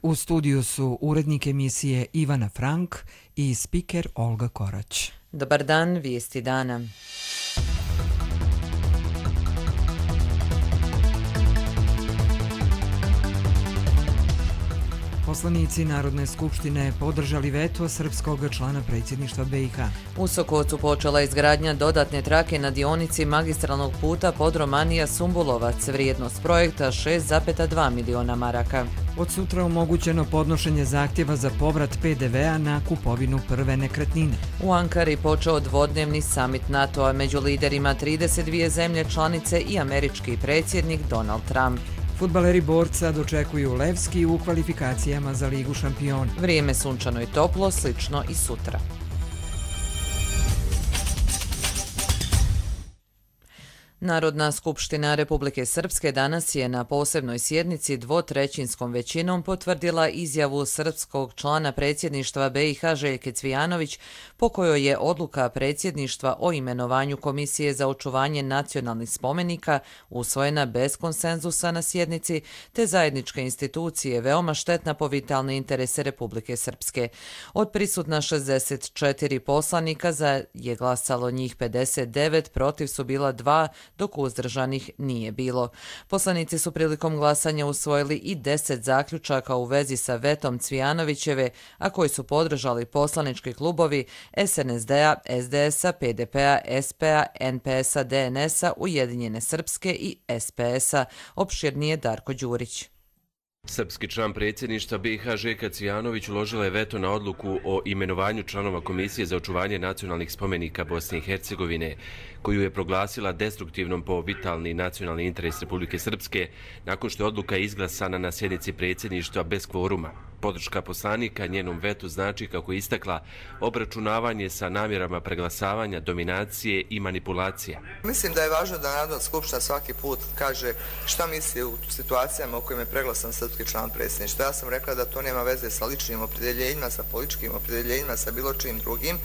U studiju su urednik emisije Ivana Frank i spiker Olga Korać. Dobar dan, vijesti dana. Poslanici Narodne skupštine podržali veto srpskog člana predsjedništva BiH. U Sokocu počela izgradnja dodatne trake na dionici magistralnog puta Podromanija-Sumbulovac, vrijednost projekta 6,2 miliona maraka. Od sutra omogućeno podnošenje zahtjeva za povrat PDV-a na kupovinu prve nekretnine. U Ankari počeo dvodnevni samit NATO-a među liderima 32 zemlje članice i američki predsjednik Donald Trump. Fudbaleri Borca dočekuju Levski u kvalifikacijama za Ligu šampiona. Vrijeme sunčano i toplo, slično i sutra. Narodna skupština Republike Srpske danas je na posebnoj sjednici dvotrećinskom većinom potvrdila izjavu srpskog člana predsjedništva BiH Željke Cvijanović, po kojoj je odluka predsjedništva o imenovanju Komisije za očuvanje nacionalnih spomenika usvojena bez konsenzusa na sjednici, te zajedničke institucije veoma štetna po vitalne interese Republike Srpske. Od prisutna 64 poslanika za je glasalo njih 59, protiv su bila 2, dok uzdržanih nije bilo. Poslanici su prilikom glasanja usvojili i 10 zaključaka u vezi sa vetom Cvijanovićeve, a koji su podržali poslanički klubovi SNSD-a, SDS-a, PDP-a, SP-a, NPS-a, DNS-a, Ujedinjene Srpske i SPS-a. Opširnije Darko Đurić. Srpski član predsjedništva BiH Željka Cvijanović uložila je veto na odluku o imenovanju članova Komisije za očuvanje nacionalnih spomenika Bosne i Hercegovine, koju je proglasila destruktivnom po vitalni nacionalni interes Republike Srpske, nakon što je odluka izglasana na sjednici predsjedništva bez kvoruma. Podrška poslanika njenom vetu znači, kako je istakla, obračunavanje sa namjerama preglasavanja, dominacije i manipulacija. Mislim da je važno da Narodna skupština svaki put kaže šta misli u situacijama u kojima je preglasan srpski član predsjedništva. Ja sam rekla da to nema veze sa ličnim opredjeljenjima, sa političkim opredjeljenjima, sa bilo čim drugim,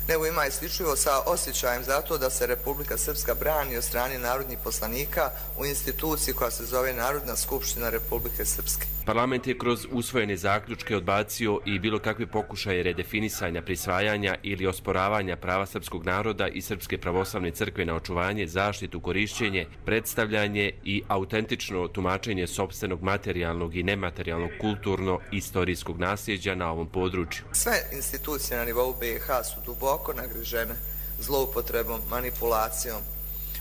nego ima isključivo sa osjećajem za to da se Republika Srpska brani od strane narodnih poslanika u instituciji koja se zove Narodna skupština Republike Srpske. Parlament je kroz usvojene zaključke odbacio i bilo kakve pokušaje redefinisanja, prisvajanja ili osporavanja prava srpskog naroda i Srpske pravoslavne crkve na očuvanje, zaštitu, korišćenje, predstavljanje i autentično tumačenje sopstvenog materijalnog i nematerijalnog kulturno-istorijskog nasljeđa na ovom području. Sve institucije na nivou BiH su duboko nagrižene zloupotrebom, manipulacijom,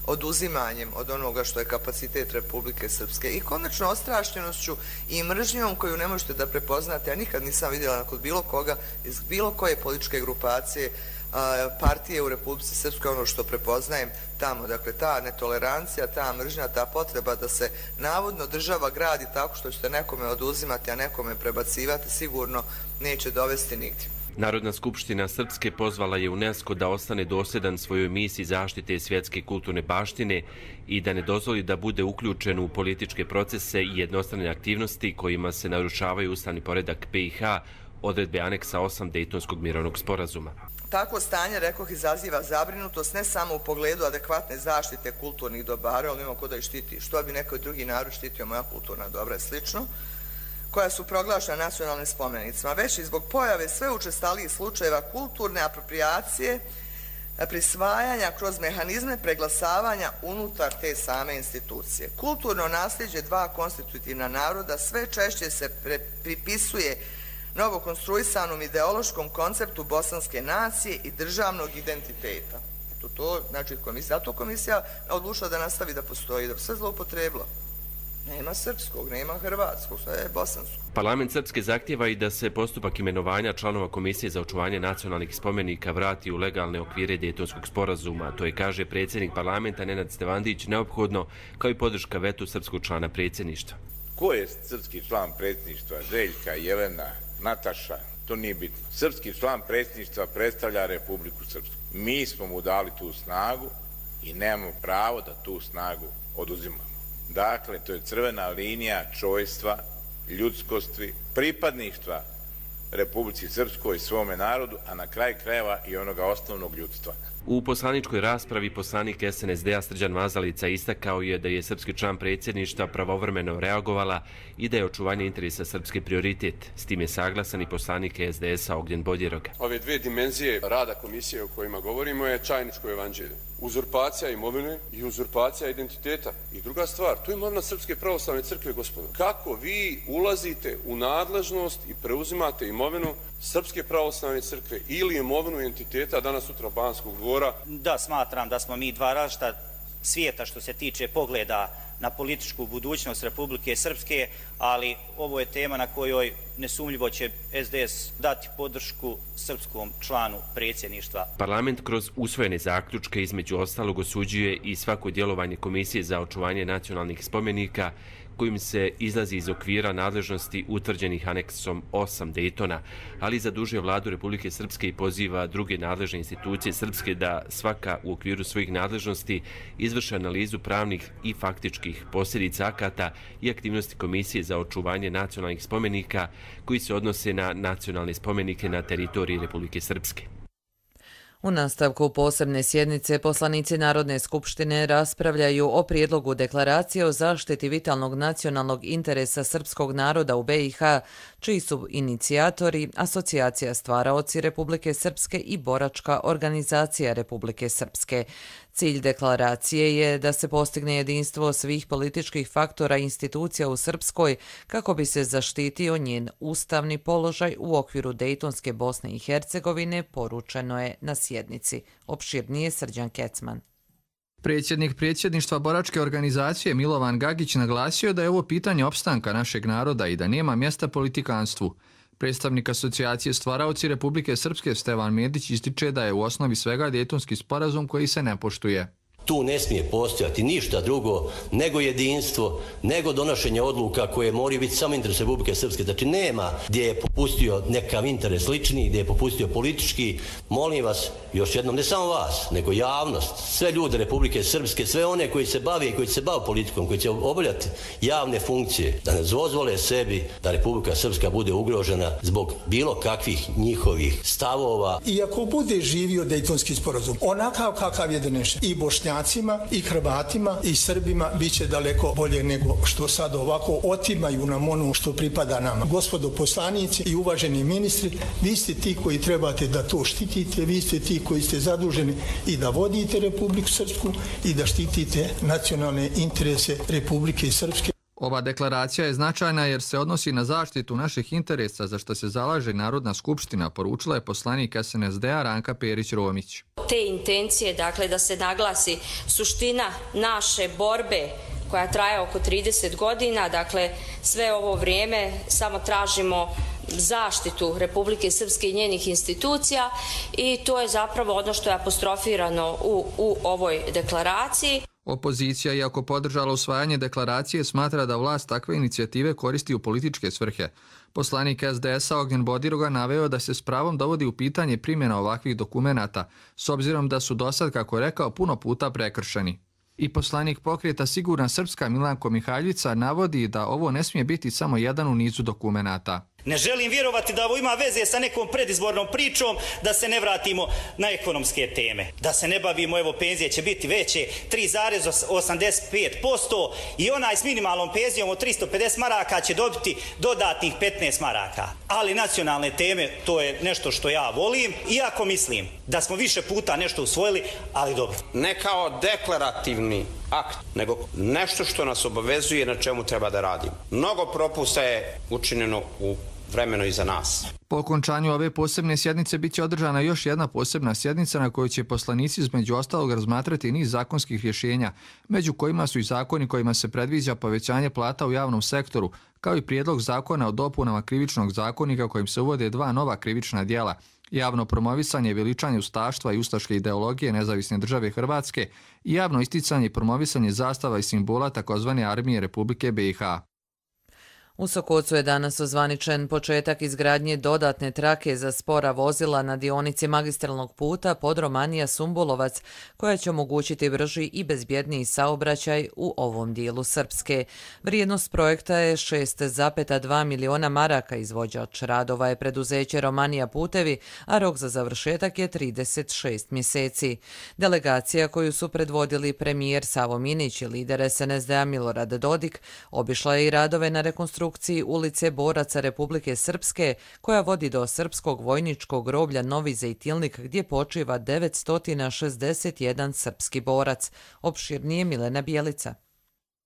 oduzimanjem od onoga što je kapacitet Republike Srpske i konačno ostrašćenošću i mržnjom koju ne možete da prepoznate. Ja nikad nisam vidjela kod bilo koga iz bilo koje političke grupacije, partije u Republici Srpskoj, ono što prepoznajem tamo. Dakle, ta netolerancija, ta mržnja, ta potreba da se navodno država gradi tako što ćete nekome oduzimati, a nekome prebacivati, sigurno neće dovesti nigdje. Narodna skupština Srpske pozvala je UNESCO da ostane dosljedan svojoj misiji zaštite svjetske kulturne baštine i da ne dozvoli da bude uključen u političke procese i jednostrane aktivnosti kojima se narušavaju ustavni poredak BiH, odredbe aneksa 8 Dejtonskog mirovnog sporazuma. Takvo stanje, rekoh, izaziva zabrinutost ne samo u pogledu adekvatne zaštite kulturnih dobara, ali nema ko da ih štiti. Što bi neko drugi narod štitio moja kulturna dobra i slično, koja su proglašena nacionalnim spomenicima, već i zbog pojave sve učestalijih slučajeva kulturne aproprijacije, prisvajanja kroz mehanizme preglasavanja unutar te same institucije. Kulturno nasljeđe dva konstitutivna naroda sve češće se pripisuje novokonstruisanom ideološkom konceptu bosanske nacije i državnog identiteta. Znači, zato komisija odlučila da nastavi da postoji, da sve zloupotrebilo. Nema srpskog, nema hrvatskog, sve je bosanskog. Parlament Srpske zahtjeva i da se postupak imenovanja članova Komisije za očuvanje nacionalnih spomenika vrati u legalne okvire Dejtonskog sporazuma. To je, kaže predsjednik parlamenta Nenad Stevandić, neophodno, kao i podrška vetu srpskog člana predsjedništva. Ko je srpski član predsjedništva? Željka, Jelena, Nataša? To nije bitno. Srpski član predsjedništva predstavlja Republiku Srpsku. Mi smo mu dali tu snagu i nemamo pravo da tu snagu oduzimamo. Dakle, to je crvena linija čojstva, ljudskosti, pripadništva Republici Srpskoj, svome narodu, a na kraj krajeva i onoga osnovnog ljudstva. U poslaničkoj raspravi poslanik SNSD-a Srđan Mazalica istakao je da je srpski član predsjedništva pravovremeno reagovala i da je očuvanje interesa srpske prioritet. S tim je saglasan i poslanik SDS-a Ognjen Bodjerog. Ove dvije dimenzije rada komisije o kojima govorimo je čajničko evanđelje. Uzurpacija imovine i uzurpacija identiteta. I druga stvar, to je imovina Srpske pravoslavne crkve, gospodo. Kako vi ulazite u nadležnost i preuzimate imovinu Srpske pravoslavne crkve ili imovinu identiteta danas sutra Banskog dvora? Da, smatram da smo mi dva različita svijeta što se tiče pogleda na političku budućnost Republike Srpske, ali ovo je tema na kojoj nesumljivo će SDS dati podršku srpskom članu predsjedništva. Parlament kroz usvojene zaključke između ostalog osuđuje i svako djelovanje Komisije za očuvanje nacionalnih spomenika kojim se izlazi iz okvira nadležnosti utvrđenih aneksom 8 Dejtona, ali zadužuje vladu Republike Srpske i poziva druge nadležne institucije Srpske da svaka u okviru svojih nadležnosti izvrše analizu pravnih i faktičkih posljedica akata i aktivnosti Komisije za očuvanje nacionalnih spomenika koji se odnose na nacionalne spomenike na teritoriji Republike Srpske. U nastavku posebne sjednice poslanici Narodne skupštine raspravljaju o prijedlogu deklaracije o zaštiti vitalnog nacionalnog interesa srpskog naroda u BiH, čiji su inicijatori Asocijacija stvaraoci Republike Srpske i Boračka organizacija Republike Srpske. Cilj deklaracije je da se postigne jedinstvo svih političkih faktora i institucija u Srpskoj kako bi se zaštitio njen ustavni položaj u okviru Dejtonske Bosne i Hercegovine, poručeno je na sjednici. Opširnije Srđan Kecman. Predsjednik predsjedništva Boračke organizacije Milovan Gagić naglasio da je ovo pitanje opstanka našeg naroda i da nema mjesta politikanstvu. Predstavnik Asocijacije stvaraoci Republike Srpske Stevan Medić ističe da je u osnovi svega Dejtonski sporazum koji se ne poštuje. Tu ne smije postojati ništa drugo nego jedinstvo, nego donošenje odluka koje moraju biti samo interes Republike Srpske. Znači nema gdje je popustio nekav interes lični, gdje je popustio politički. Molim vas, još jednom, ne samo vas, nego javnost, sve ljude Republike Srpske, sve one koji se bave i koji se bave politikom, koji će obavljati javne funkcije, da ne dozvole sebi da Republika Srpska bude ugrožena zbog bilo kakvih njihovih stavova. I ako bude živio Dejtonski sporazum, onakav kakav je donešen, i Bošnjacima, i Hrvatima, i Srbima, bit će daleko bolje nego što sad ovako otimaju nam ono što pripada nama. Gospodo poslanici i uvaženi ministri, vi ste ti koji trebate da to štitite, vi ste ti koji ste zaduženi i da vodite Republiku Srpsku i da štitite nacionalne interese Republike Srpske. Ova deklaracija je značajna jer se odnosi na zaštitu naših interesa za što se zalaže Narodna skupština, poručila je poslanik SNSD-a Ranka Perić-Romić. Te intencije, dakle, da se naglasi suština naše borbe koja traje oko 30 godina, dakle, sve ovo vrijeme samo tražimo zaštitu Republike Srpske i njenih institucija i to je zapravo ono što je apostrofirano u ovoj deklaraciji. Opozicija, iako podržala usvajanje deklaracije, smatra da vlast takve inicijative koristi u političke svrhe. Poslanik SDS-a Ognjen Bodjerog naveo da se s pravom dovodi u pitanje primjena ovakvih dokumenata, s obzirom da su dosad, kako je rekao, puno puta prekršeni. I poslanik pokreta Sigurna Srpska Milanko Mihaljica navodi da ovo ne smije biti samo jedan u nizu dokumenata. Ne želim vjerovati da ovo ima veze sa nekom predizbornom pričom, da se ne vratimo na ekonomske teme. Da se ne bavimo, evo, penzije će biti veće 3,85% i onaj s minimalnom penzijom od 350 maraka će dobiti dodatnih 15 maraka. Ali nacionalne teme, to je nešto što ja volim, iako mislim da smo više puta nešto usvojili, ali dobro. Ne kao deklarativni akt, nego nešto što nas obavezuje na čemu treba da radimo. Mnogo propusta je učinjeno u vremeno iza nas. Po okončanju ove posebne sjednice bit će održana još jedna posebna sjednica na kojoj će poslanici između ostalog razmatrati niz zakonskih rješenja, među kojima su i zakoni kojima se predviđa povećanje plata u javnom sektoru, kao i prijedlog zakona o dopunama krivičnog zakonika kojim se uvode dva nova krivična djela: javno promovisanje i veličanje ustaštva i ustaške ideologije Nezavisne države Hrvatske i javno isticanje i promovisanje zastava i simbola tzv. Armije Republike BiH. U Sokocu je danas ozvaničen početak izgradnje dodatne trake za spora vozila na dionici magistralnog puta Podromanija-Sumbulovac, koja će omogućiti brži i bezbjedniji saobraćaj u ovom dijelu Srpske. Vrijednost projekta je 6,2 miliona maraka. Izvođač radova je preduzeće Romanija putevi, a rok za završetak je 36 mjeseci. Delegacija koju su predvodili premijer Savo Minić i lider SNSD-a Milorad Dodik obišla je i radove na rekonstrukciji ulice Boraca Republike Srpske, koja vodi do Srpskog vojničkog groblja Novi Zejtilnik, gdje počiva 961 srpski borac. Opširnije Milena Bjelica.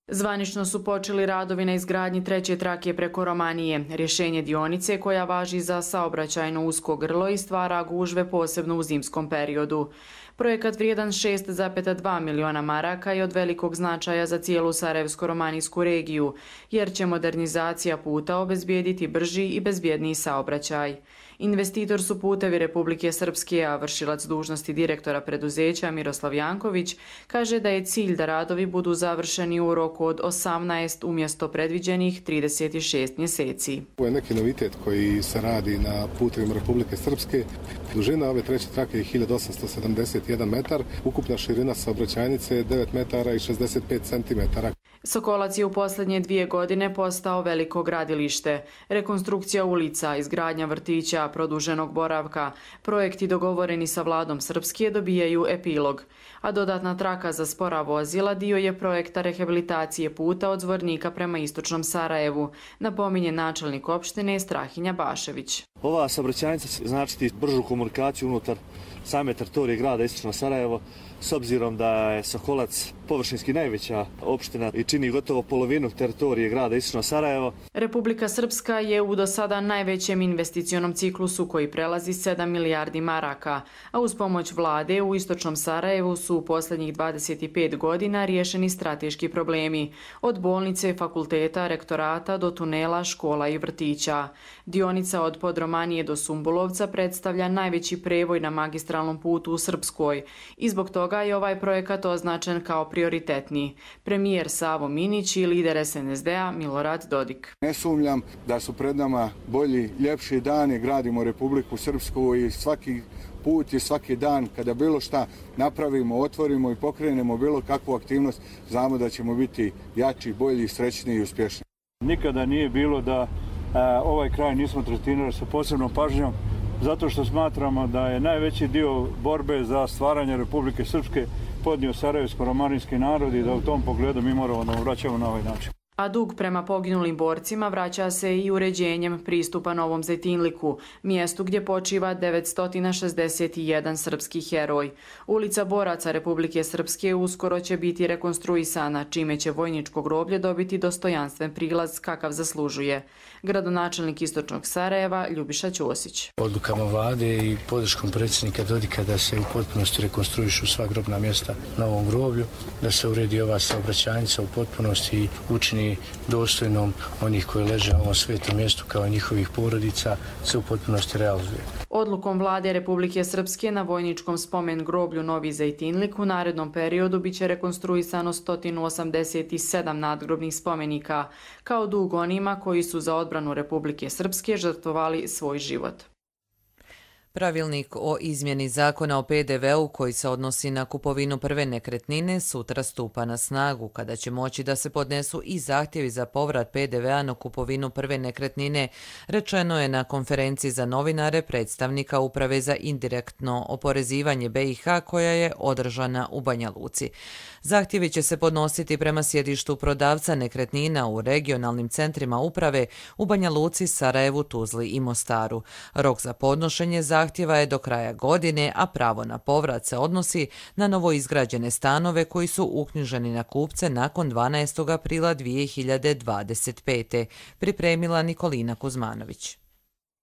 Zvanično su počeli radovi na izgradnji treće trake preko Romanije, rješenje dionice koja važi za saobraćajno usko grlo i stvara gužve posebno u zimskom periodu. Projekat vrijedan 6,2 miliona maraka je od velikog značaja za cijelu Sarajevsko-romanijsku regiju, jer će modernizacija puta obezbijediti brži i bezbjedniji saobraćaj. Investitor su Putevi Republike Srpske, a vršilac dužnosti direktora preduzeća Miroslav Janković kaže da je cilj da radovi budu završeni u roku od 18 umjesto predviđenih 36 mjeseci. Ovo je neki novitet koji se radi na Putevima Republike Srpske. Dužina ove treće trake je 1871 metar, ukupna širina saobraćajnice je 9 metara i 65 centimetara. Sokolac je u posljednje 2 godine postao veliko gradilište. Rekonstrukcija ulica, izgradnja vrtića, produženog boravka, projekti dogovoreni sa vladom Srpske dobijaju epilog. A dodatna traka za spora vozila dio je projekta rehabilitacije puta od Zvornika prema istočnom Sarajevu, napominje načelnik opštine Strahinja Bašević. Ova saobraćajnica će značiti bržu komunikaciju unutar same teritorije grada istočno Sarajevo, s obzirom da je Sokolac površinski najveća opština i čini gotovo polovinu teritorije grada istočno Sarajevo. Republika Srpska je u do sada najvećem investicionom ciklusu koji prelazi 7 milijardi maraka, a uz pomoć vlade u istočnom Sarajevu su u posljednjih 25 godina riješeni strateški problemi, od bolnice, fakulteta, rektorata do tunela, škola i vrtića. Dionica od Podromanije do Sumbulovca predstavlja najveći prevoj na magistralnom putu u Srpskoj i zbog toga je ovaj projekat označen kao prioritetni. Premijer Savo Minić i lider SNSD-a Milorad Dodik. Ne sumnjam da su pred nama bolji, ljepši dani, gradimo Republiku Srpsku i svaki put i svaki dan kada bilo šta napravimo, otvorimo i pokrenemo bilo kakvu aktivnost, znamo da ćemo biti jači, bolji, srećniji i uspješni. Nikada nije bilo da ovaj kraj nismo tretirali sa posebnom pažnjom, zato što smatramo da je najveći dio borbe za stvaranje Republike Srpske podnio sarajevsko-romanijski narod i da u tom pogledu mi moramo da vraćamo na ovaj način. A dug prema poginulim borcima vraća se i uređenjem pristupa Novom Zejtinliku, mjestu gdje počiva 961 srpski heroj. Ulica Boraca Republike Srpske uskoro će biti rekonstruisana, čime će vojničko groblje dobiti dostojanstven prilaz kakav zaslužuje. Gradonačelnik istočnog Sarajeva Ljubiša Ćosić. Odlukama vlade i podrškom predsjednika Dodika da se u potpunosti rekonstruišu sva grobna mjesta na ovom groblju, da se uredi ova saobraćajnica u potpunosti i učini dostojnom onih koji leže na ovom svetom mjestu kao i njihovih porodica, se u potpunosti realizuje. Odlukom vlade Republike Srpske na vojničkom spomen groblju Novi Zejtinlik u narednom periodu biće rekonstruisano 187 nadgrobnih spomenika, kao dug onima koji su za odbranu Republike Srpske žrtvovali svoj život. Pravilnik o izmjeni zakona o PDV-u koji se odnosi na kupovinu prve nekretnine sutra stupa na snagu, kada će moći da se podnesu i zahtjevi za povrat PDV-a na kupovinu prve nekretnine, rečeno je na konferenciji za novinare predstavnika Uprave za indirektno oporezivanje BiH koja je održana u Banja Luci. Zahtjevi će se podnositi prema sjedištu prodavca nekretnina u regionalnim centrima uprave u Banja Luci, Sarajevu, Tuzli i Mostaru. Rok za podnošenje zahtjeva je do kraja godine, a pravo na povrat se odnosi na novoizgrađene stanove koji su uknjiženi na kupce nakon 12. aprila 2025. Pripremila Nikolina Kuzmanović.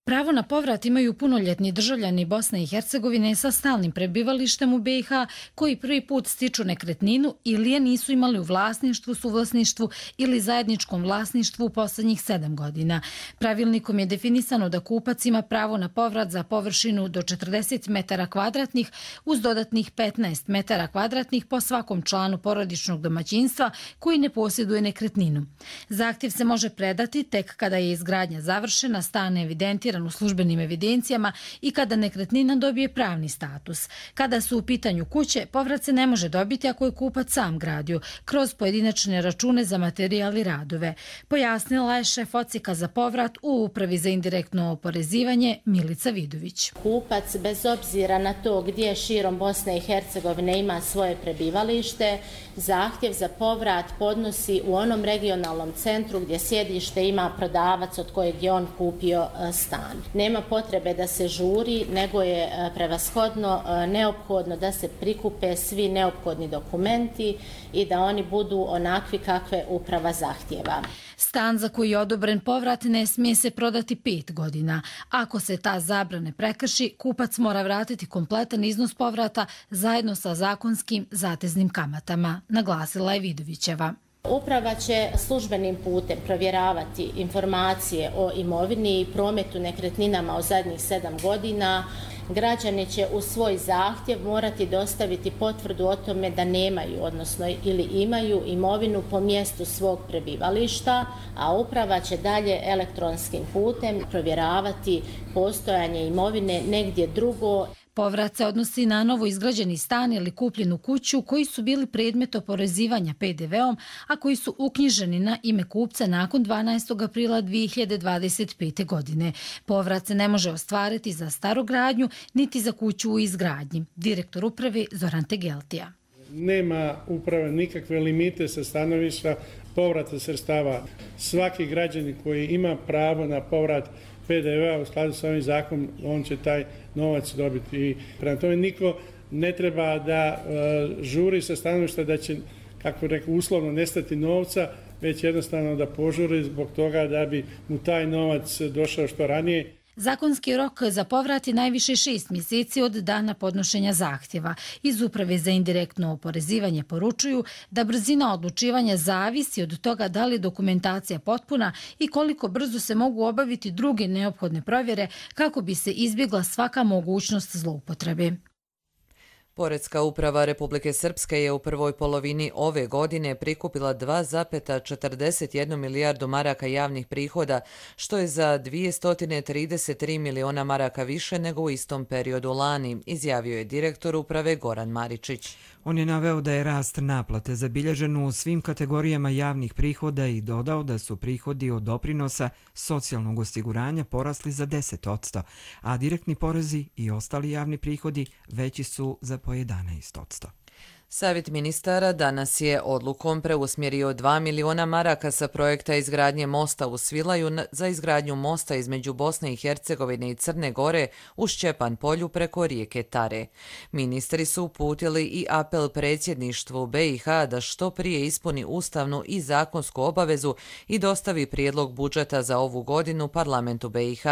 Pravo na povrat imaju punoljetni državljani Bosne i Hercegovine sa stalnim prebivalištem u BiH koji prvi put stiču nekretninu ili je nisu imali u vlasništvu, suvlasništvu ili zajedničkom vlasništvu u posljednjih 7 godina. Pravilnikom je definisano da kupac ima pravo na povrat za površinu do 40 metara kvadratnih uz dodatnih 15 metara kvadratnih po svakom članu porodičnog domaćinstva koji ne posjeduje nekretninu. Zahtjev se može predati tek kada je izgradnja završena, stan evidentiran u službenim evidencijama i kada nekretnina dobije pravni status. Kada su u pitanju kuće, povrat se ne može dobiti ako je kupac sam gradio, kroz pojedinačne račune za materijal i radove. Pojasnila je šef odsjeka za povrat u Upravi za indirektno oporezivanje Milica Vidović. Kupac, bez obzira na to gdje širom Bosne i Hercegovine ima svoje prebivalište, zahtjev za povrat podnosi u onom regionalnom centru gdje sjedište ima prodavac od kojeg je on kupio stan. Nema potrebe da se žuri, nego je prevashodno neophodno da se prikupe svi neophodni dokumenti i da oni budu onakvi kakve uprava zahtjeva. Stan za koji je odobren povrat ne smije se prodati 5 godina. Ako se ta zabrana prekrši, kupac mora vratiti kompletan iznos povrata zajedno sa zakonskim zateznim kamatama, naglasila je Vidovićeva. Uprava će službenim putem provjeravati informacije o imovini i prometu nekretninama u zadnjih 7 godina. Građani će u svoj zahtjev morati dostaviti potvrdu o tome da nemaju, odnosno ili imaju imovinu po mjestu svog prebivališta, a uprava će dalje elektronskim putem provjeravati postojanje imovine negdje drugo. Povrat se odnosi na novo izgrađeni stan ili kupljenu kuću koji su bili predmet oporezivanja PDV-om, a koji su uknjiženi na ime kupca nakon 12. aprila 2025. godine. Povrat se ne može ostvariti za starogradnju niti za kuću u izgradnji. Direktor uprave Zoran Tegeltija. Nema uprave nikakve limite sa stanovišta povrata sredstava. Svaki građanin koji ima pravo na povrat PDV-a u skladu sa ovim zakonom, on će taj novac dobiti. I prema tome niko ne treba da žuri sa stanovišta da će, kako rekao, uslovno nestati novca, već jednostavno da požuri zbog toga da bi mu taj novac došao što ranije. Zakonski rok za povrat je najviše 6 mjeseci od dana podnošenja zahtjeva. Iz Uprave za indirektno oporezivanje poručuju da brzina odlučivanja zavisi od toga da li je dokumentacija potpuna i koliko brzo se mogu obaviti druge neophodne provjere kako bi se izbjegla svaka mogućnost zloupotrebe. Poreska uprava Republike Srpske je u prvoj polovini ove godine prikupila 2,41 milijardu maraka javnih prihoda, što je za 233 miliona maraka više nego u istom periodu lani, izjavio je direktor uprave Goran Maričić. On je naveo da je rast naplate zabilježen u svim kategorijama javnih prihoda i dodao da su prihodi od doprinosa socijalnog osiguranja porasli za 10%, a direktni porezi i ostali javni prihodi veći su za po 11%. Savjet ministara danas je odlukom preusmjerio 2 miliona maraka sa projekta izgradnje mosta u Svilaju za izgradnju mosta između Bosne i Hercegovine i Crne Gore u Šćepan polju preko rijeke Tare. Ministri su uputili i apel predsjedništvu BiH da što prije ispuni ustavnu i zakonsku obavezu i dostavi prijedlog budžeta za ovu godinu parlamentu BiH,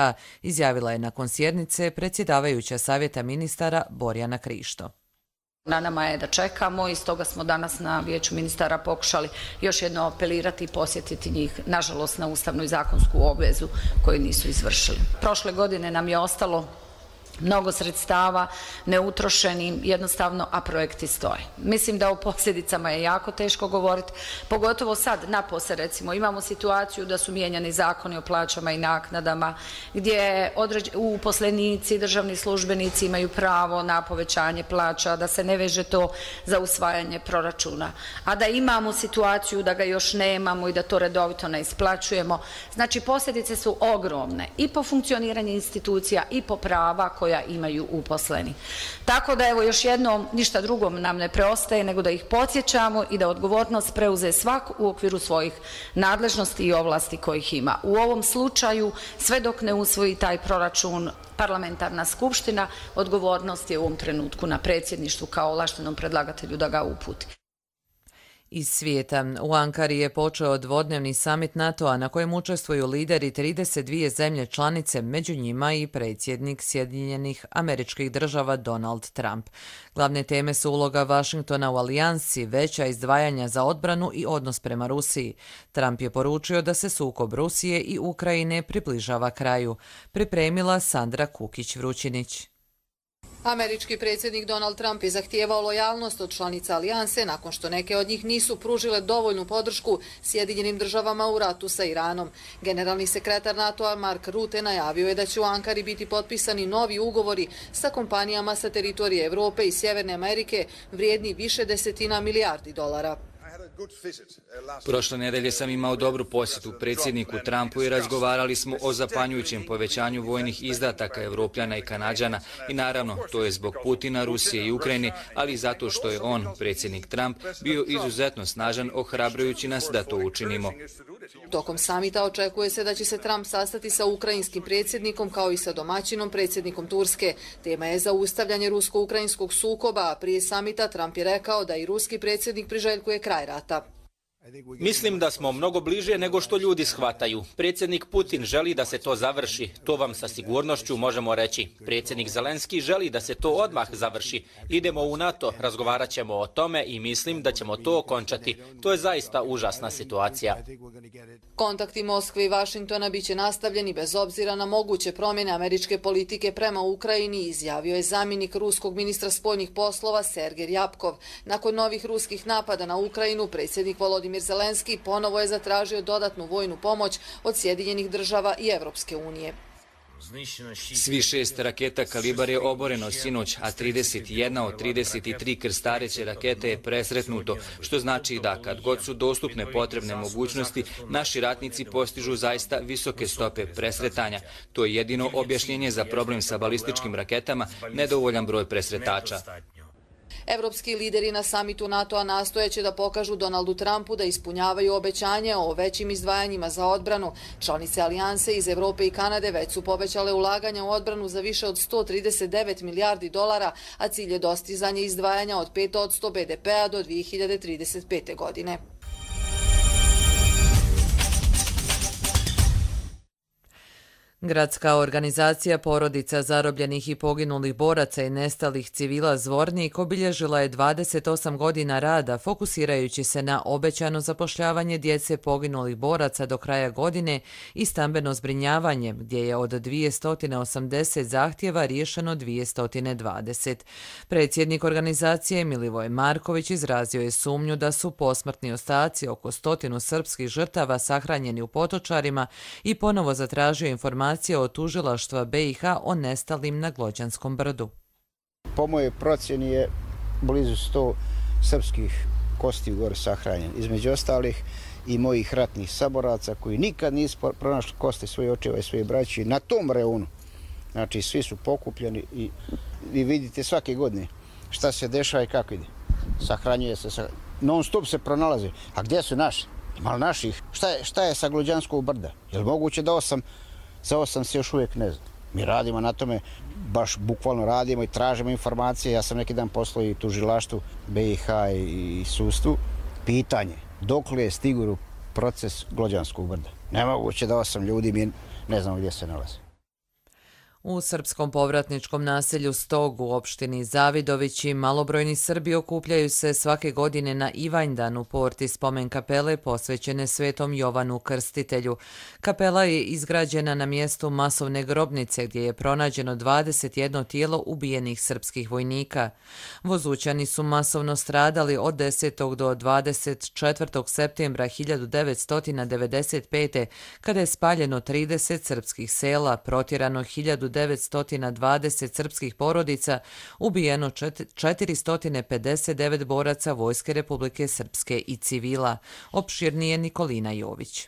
izjavila je nakon sjednice predsjedavajuća Savjeta ministara Borjana Krišto. Na nama je da čekamo i stoga smo danas na Vijeću ministara pokušali još jedno apelirati i posjetiti njih, nažalost, na ustavnu i zakonsku obvezu koju nisu izvršili. Prošle godine nam je ostalo mnogo sredstava neutrošenim, jednostavno, a projekti stoje. Mislim da o posljedicama je jako teško govoriti, pogotovo sad napose, recimo, imamo situaciju da su mijenjani zakoni o plaćama i naknadama, gdje uposlenici, državni službenici imaju pravo na povećanje plaća, da se ne veže to za usvajanje proračuna, a da imamo situaciju da ga još nemamo i da to redovito ne isplaćujemo. Znači, posljedice su ogromne i po funkcioniranju institucija i po prava koja imaju uposleni. Tako da, evo, još jednom, ništa drugo nam ne preostaje nego da ih podsjećamo i da odgovornost preuze svak u okviru svojih nadležnosti i ovlasti kojih ima. U ovom slučaju, sve dok ne usvoji taj proračun parlamentarna skupština, odgovornost je u ovom trenutku na predsjedništvu kao ovlaštenom predlagatelju da ga uputi. Iz svijeta. U Ankari je počeo dvodnevni samit NATO-a na kojem učestvuju lideri 32 zemlje članice, među njima i predsjednik Sjedinjenih Američkih Država Donald Trump. Glavne teme su uloga Vašingtona u alijansi, veća izdvajanja za odbranu i odnos prema Rusiji. Trump je poručio da se sukob Rusije i Ukrajine približava kraju. Pripremila Sandra Kukić-Vrućinić. Američki predsjednik Donald Trump je zahtijevao lojalnost od članica alijanse nakon što neke od njih nisu pružile dovoljnu podršku Sjedinjenim državama u ratu sa Iranom. Generalni sekretar NATO-a Mark Rutte najavio je da će u Ankari biti potpisani novi ugovori sa kompanijama sa teritorije Evrope i Sjeverne Amerike vrijedni više desetina milijardi dolara. Prošle nedelje sam imao dobru posjetu predsjedniku Trumpu i razgovarali smo o zapanjujućem povećanju vojnih izdataka Evropljana i Kanađana i naravno to je zbog Putina, Rusije i Ukrajine, ali i zato što je on, predsjednik Trump, bio izuzetno snažan ohrabrujući nas da to učinimo. Tokom samita očekuje se da će se Trump sastati sa ukrajinskim predsjednikom kao i sa domaćinom predsjednikom Turske. Tema je zaustavljanje rusko-ukrajinskog sukoba, a prije samita Trump je rekao da i ruski predsjednik priželjkuje kraj rata. Mislim da smo mnogo bliže nego što ljudi shvataju. Predsjednik Putin želi da se to završi, to vam sa sigurnošću možemo reći. Predsjednik Zelenski želi da se to odmah završi. Idemo u NATO, razgovarat ćemo o tome i mislim da ćemo to okončati. To je zaista užasna situacija. Kontakti Moskve i Vašingtona biće nastavljeni bez obzira na moguće promjene američke politike prema Ukrajini, izjavio je zamjenik ruskog ministra spoljnih poslova Sergej Ryabkov. Nakon novih ruskih napada na Ukrajinu, predsjednik Volodimir Zelenski ponovo je zatražio dodatnu vojnu pomoć od Sjedinjenih država i Evropske unije. Svi 6 raketa Kalibar je oboreno sinoć, a 31 od 33 krstareće rakete je presretnuto, što znači da kad god su dostupne potrebne mogućnosti, naši ratnici postižu zaista visoke stope presretanja. To je jedino objašnjenje za problem sa balističkim raketama, nedovoljan broj presretača. Evropski lideri na samitu NATO-a nastojeće da pokažu Donaldu Trumpu da ispunjavaju obećanje o većim izdvajanjima za odbranu. Članice alijanse iz Evrope i Kanade već su povećale ulaganja u odbranu za više od 139 milijardi dolara, a cilj je dostizanje izdvajanja od 5% BDP-a do 2035. godine. Gradska organizacija porodica zarobljenih i poginulih boraca i nestalih civila Zvornik obilježila je 28 godina rada, fokusirajući se na obećano zapošljavanje djece poginulih boraca do kraja godine i stambeno zbrinjavanje, gdje je od 280 zahtjeva riješeno 220. Predsjednik organizacije Milivoj Marković izrazio je sumnju da su posmrtni ostaci oko 100 srpskih žrtava sahranjeni u Potočarima i ponovo zatražio informacije od tužilaštva BiH o nestalim na Glođanskom brdu. Po mojoj procjeni je blizu 100 srpskih kosti gore sahranjeni. Između ostalih i mojih ratnih saboraca koji nikad nisu pronašli kosti svojih očeva i svojih braći na tom reonu. Znači svi su pokupljeni i vi vidite svake godine šta se dešava i kako ide. Sahranjuje se, non stop se pronalazi. A gdje su naši? Ima li naših? Šta je sa Glođanskog brda? Je li moguće da za 8 se još uvijek ne zna? Mi radimo na tome, baš bukvalno radimo i tražimo informacije. Ja sam neki dan poslao i tužilaštvu BiH i sudstvu. Pitanje, dokle je stigao proces Glođanskog brda? Nemoguće da 8 ljudi mi ne znamo gdje se nalaze. U srpskom povratničkom naselju Stog u opštini Zavidovići malobrojni Srbi okupljaju se svake godine na Ivanjdan u porti spomen kapele posvećene Svetom Jovanu Krstitelju. Kapela je izgrađena na mjestu masovne grobnice gdje je pronađeno 21 tijelo ubijenih srpskih vojnika. Vozućani su masovno stradali od 10. do 24. septembra 1995. kada je spaljeno 30 srpskih sela, protjerano 1920 srpskih porodica, ubijeno 459 boraca Vojske Republike Srpske i civila. Opširnije Nikolina Jović.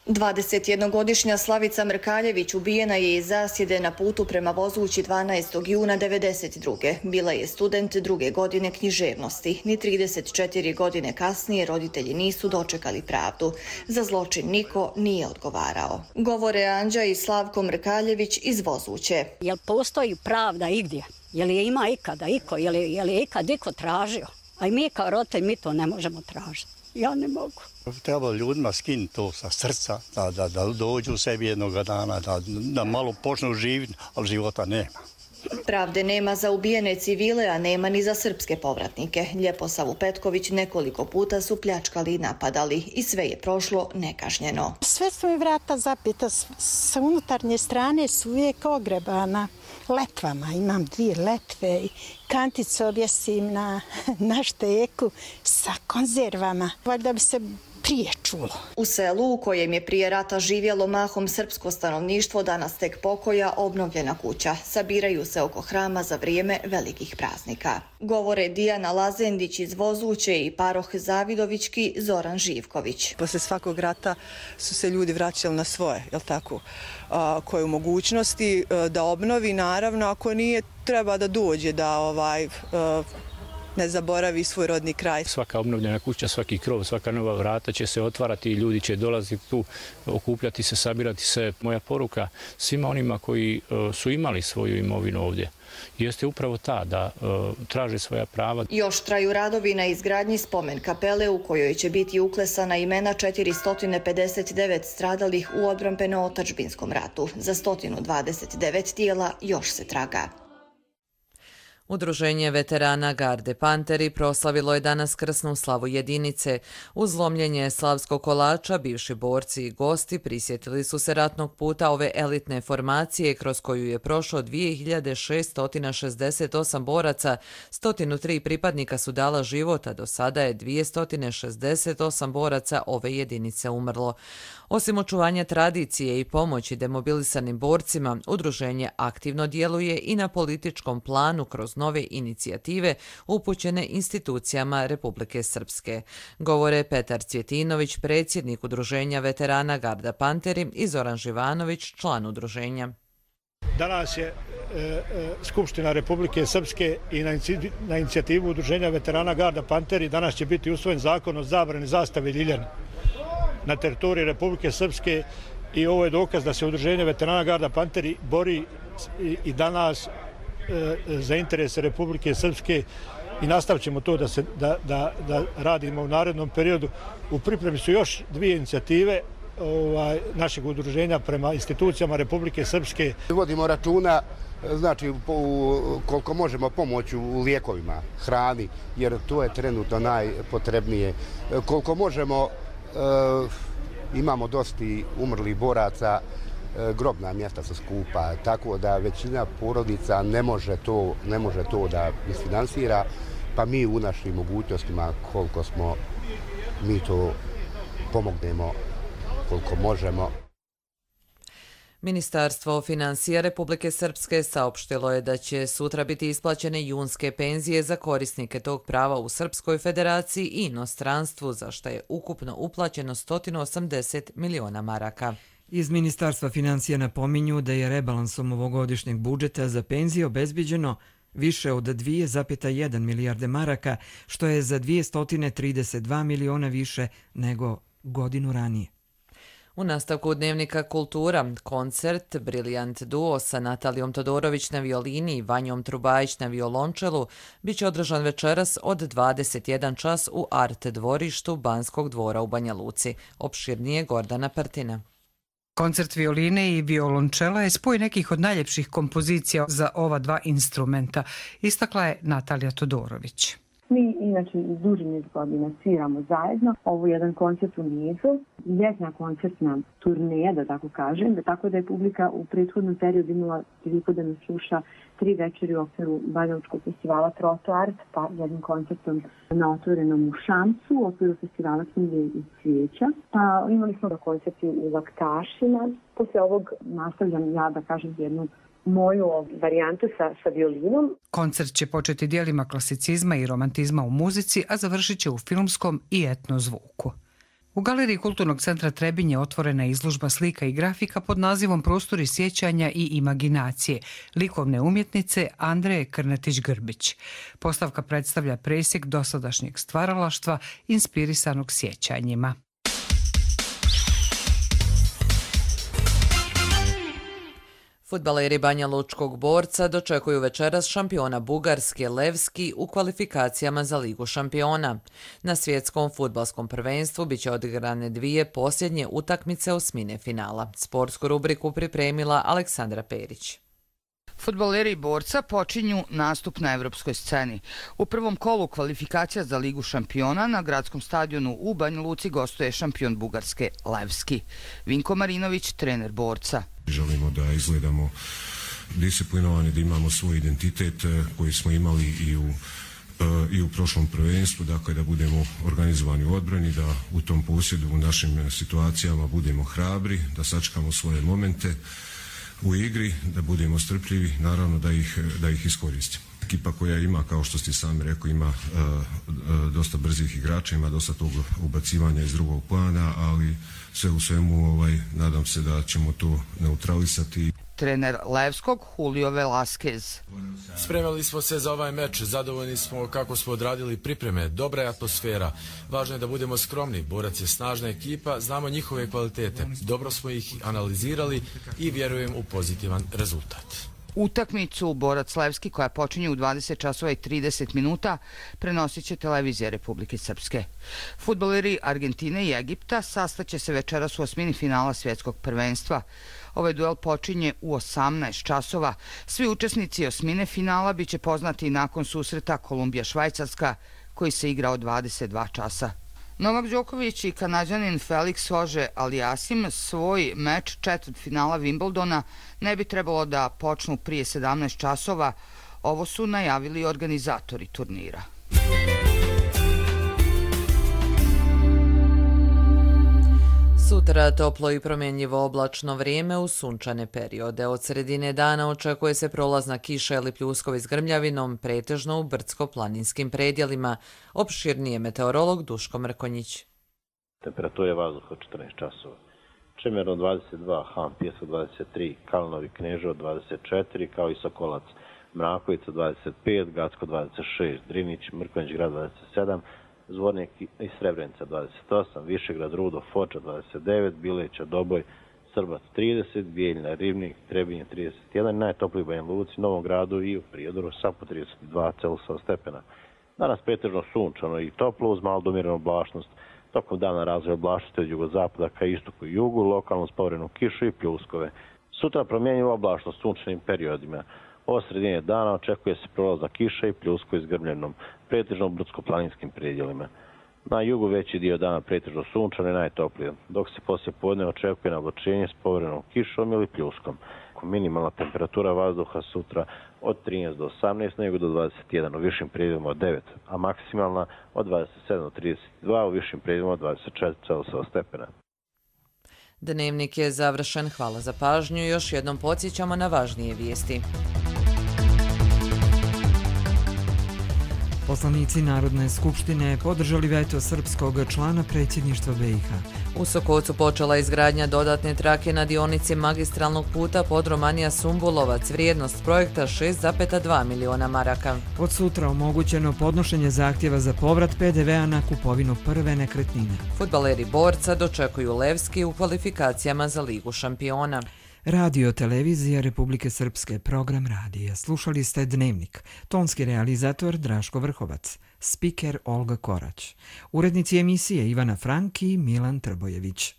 21-godišnja Slavica Mrkaljević ubijena je iz zasjede na putu prema Vozući 12. juna 1992. Bila je student 2. godine književnosti. Ni 34 godine kasnije roditelji nisu dočekali pravdu. Za zločin niko nije odgovarao. Govore Anđa i Slavko Mrkaljević iz Vozuće. Jel postoji pravda igdje? Jel je ima ikada iko? Jel je ikad iko tražio? A i mi kao roditelji, mi to ne možemo tražiti. Ja ne mogu. Treba ljudima skinuti to sa srca, da dođu u sebi jednoga dana, da malo počnu živjeti, ali života nema. Pravde nema za ubijene civile, a nema ni za srpske povratnike. Ljeposavu Petković nekoliko puta su pljačkali i napadali i sve je prošlo nekažnjeno. Sve su mi vrata zapita, sa unutarnje strane su uvijek ogrebana letvama. Imam 2 letve i kanticu objesim na šteku sa konzervama. Valjda bi se prije čulo. U selu u kojem je prije rata živjelo mahom srpsko stanovništvo, danas tek pokoja, obnovljena kuća. Sabiraju se oko hrama za vrijeme velikih praznika. Govore Dijana Lazendić iz Vozuće i paroh Zavidovićki Zoran Živković. Posle svakog rata su se ljudi vraćali na svoje, jel tako? Koje u mogućnosti da obnovi, naravno, ako nije, treba da dođe da ne zaboravi svoj rodni kraj. Svaka obnovljena kuća, svaki krov, svaka nova vrata će se otvarati i ljudi će dolaziti tu, okupljati se, sabirati se. Moja poruka svima onima koji su imali svoju imovinu ovdje jeste upravo ta da traže svoja prava. Još traju radovi na izgradnji spomen kapele u kojoj će biti uklesana imena 459 stradalih u odbrambeno-otadžbinskom ratu. Za 129 tijela još se traga. Udruženje veterana Garde Panteri proslavilo je danas krsnu slavu jedinice. Uz lomljenje slavskog kolača, bivši borci i gosti prisjetili su se ratnog puta ove elitne formacije kroz koju je prošlo 2668 boraca, 103 pripadnika su dala život, a do sada je 268 boraca ove jedinice umrlo. Osim očuvanja tradicije i pomoći demobilisanim borcima, udruženje aktivno djeluje i na političkom planu kroz nove inicijative upućene institucijama Republike Srpske. Govore Petar Cvjetinović, predsjednik udruženja veterana Garda Panteri, i Zoran Živanović, član udruženja. Danas je Skupština Republike Srpske i na inicijativu udruženja veterana Garda Panteri danas će biti usvojen zakon o zabrani zastave ljiljane na teritoriji Republike Srpske i ovo je dokaz da se udruženje veterana Garda Panteri bori i danas za interese Republike Srpske i nastavit ćemo to da radimo u narednom periodu. U pripremi su još 2 inicijative našeg udruženja prema institucijama Republike Srpske. Vodimo računa, znači, koliko možemo pomoći u lijekovima, hrani, jer to je trenutno najpotrebnije. Koliko možemo, imamo dosta umrlih boraca, grobna mjesta su skupa, tako da većina porodica ne može to da isfinansira, pa mi u našim mogućnostima koliko smo, mi to pomognemo koliko možemo. Ministarstvo financija Republike Srpske saopštilo je da će sutra biti isplaćene junske penzije za korisnike tog prava u Srpskoj federaciji i inostranstvu, za što je ukupno uplaćeno 180 miliona maraka. Iz Ministarstva financija napominju da je rebalansom ovogodišnjeg budžeta za penzije obezbiđeno više od 2,1 milijarde maraka, što je za 232 miliona više nego godinu ranije. U nastavku Dnevnika kultura, koncert Briljant duo sa Natalijom Todorović na violini i Vanjom Trubajić na violončelu biće održan večeras od 21 čas u Art dvorištu Banskog dvora u Banja Luci. Opširnije Gordana Partina. Koncert violine i violončela je spoj nekih od najljepših kompozicija za ova 2 instrumenta, istakla je Natalija Todorović. Mi inače duži niz godina sviramo zajedno. Ovo je jedan koncert u nizu, ljetna koncertna turneja, da tako kažem, tako da je publika u prethodnom periodu imala priliku da nas sluša 3 večeri u okviru Banjalučkog festivala Trotoart, pa jednim koncertom na otvorenom u Šamcu, u okviru festivala Knjige i cvijeća. Pa imali smo koncerti u Laktašima. Posle ovog nastavljam ja da kažem jednu moju varijantu sa violinom. Koncert će početi dijelima klasicizma i romantizma u muzici, a završit će u filmskom i etno zvuku. U Galeriji Kulturnog centra Trebinje otvorena je izložba slika i grafika pod nazivom Prostori sjećanja i imaginacije likovne umjetnice Andreje Krnetić-Grbić. Postavka predstavlja presjek dosadašnjeg stvaralaštva inspirisanog sjećanjima. Fudbaleri Banja Lučkog Borca dočekuju večeras šampiona Bugarske Levski u kvalifikacijama za Ligu šampiona. Na svjetskom fudbalskom prvenstvu biće odigrane dvije posljednje utakmice osmine finala. Sportsku rubriku pripremila Aleksandra Perić. Fudbaleri Borca počinju nastup na evropskoj sceni. U prvom kolu kvalifikacija za Ligu šampiona na gradskom stadionu u Banja Luci gostuje šampion Bugarske Levski. Vinko Marinović, trener Borca. Želimo da izgledamo disciplinovani, da imamo svoj identitet koji smo imali i u prošlom prvenstvu, dakle da budemo organizovani u odbrani, da u tom posjedu u našim situacijama budemo hrabri, da sačekamo svoje momente u igri, da budemo strpljivi, naravno da ih iskoristimo. Ekipa koja ima, kao što ste sami rekli, ima dosta brzih igrača, ima dosta tog ubacivanja iz drugog plana, ali sve u svemu nadam se da ćemo to neutralisati. Trener Levskog Julio Velasquez. Spremali smo se za ovaj meč, zadovoljni smo kako smo odradili pripreme, dobra je atmosfera. Važno je da budemo skromni, Borac je snažna ekipa, znamo njihove kvalitete, dobro smo ih analizirali i vjerujem u pozitivan rezultat. Utakmicu Borac Levski, koja počinje u 20 časova i 30 minuta, prenosit će televizija Republike Srpske. Fudbaleri Argentine i Egipta sastaće se večeras u osmini finala svjetskog prvenstva. Ovaj duel počinje u 18 časova. Svi učesnici osmine finala biće poznati nakon susreta Kolumbija-Švajcarska, koji se igra od 22 časa. Novak Đoković i Kanađanin Felix Auger-Aliassime svoj meč četvrtfinala Wimbledona ne bi trebalo da počnu prije 17 časova. Ovo su najavili organizatori turnira. Sutra toplo i promjenjivo oblačno vrijeme u sunčane periode. Od sredine dana očekuje se prolazna kiša ili pljuskovi s grmljavinom, pretežno u brdsko-planinskim predjelima. Opširnije meteorolog Duško Mrkonjić. Temperatura vazduha 14 časova. Čemerno 22, Han Pjesko 23, Kalinovi Kneževo 24, kao i Sokolac. Mrakovica 25, Gacko 26, Drinić, Mrkonjić grad 27, Zvornik i Srebrenica 28, Višegrad, Rudo, Foča 29, Bileća, Doboj, Srbac 30, Bijeljina, Ribnik, Trebinje 31, najtopliji u Banja Luci, Novom Gradu i u Prijedoru sa po 32,7 stepena. Danas pretežno sunčano i toplo uz malo domjerenu oblačnost. Tokom dana razvoj oblačnosti od jugozapada ka istoku i jugu, lokalno spovrenu kišu i pljuskove. Sutra promjenjiva oblačnost sunčanim periodima. Od sredine dana očekuje se prolazna kiša i pljusko s grmljevinom, pretežno u brdsko-planinskim predjelima. Na jugu veći dio dana pretežno sunčano i najtoplije, dok se poslije podne očekuje navlačenje s povremenom kišom ili pljuskom. Minimalna temperatura vazduha sutra od 13 do 18, nego do 21, u višim predjelima od 9, a maksimalna od 27 do 32, u višim predjelima od 24,7 stepena. Dnevnik je završen. Hvala za pažnju. Još jednom podsjećamo na važnije vijesti. Poslanici Narodne skupštine podržali veto srpskog člana predsjedništva BiH. U Sokocu počela izgradnja dodatne trake na dionici magistralnog puta Podromanija-Sumbulovac, vrijednost projekta 6,2 miliona maraka. Od sutra omogućeno podnošenje zahtjeva za povrat PDV-a na kupovinu prve nekretnine. Fudbaleri Borca dočekuju Levski u kvalifikacijama za Ligu šampiona. Radio televizija Republike Srpske, program radija. Slušali ste Dnevnik. Tonski realizator Draško Vrhovac. Spiker Olga Korać. Urednici emisije Ivana Frank i Milan Trbojević.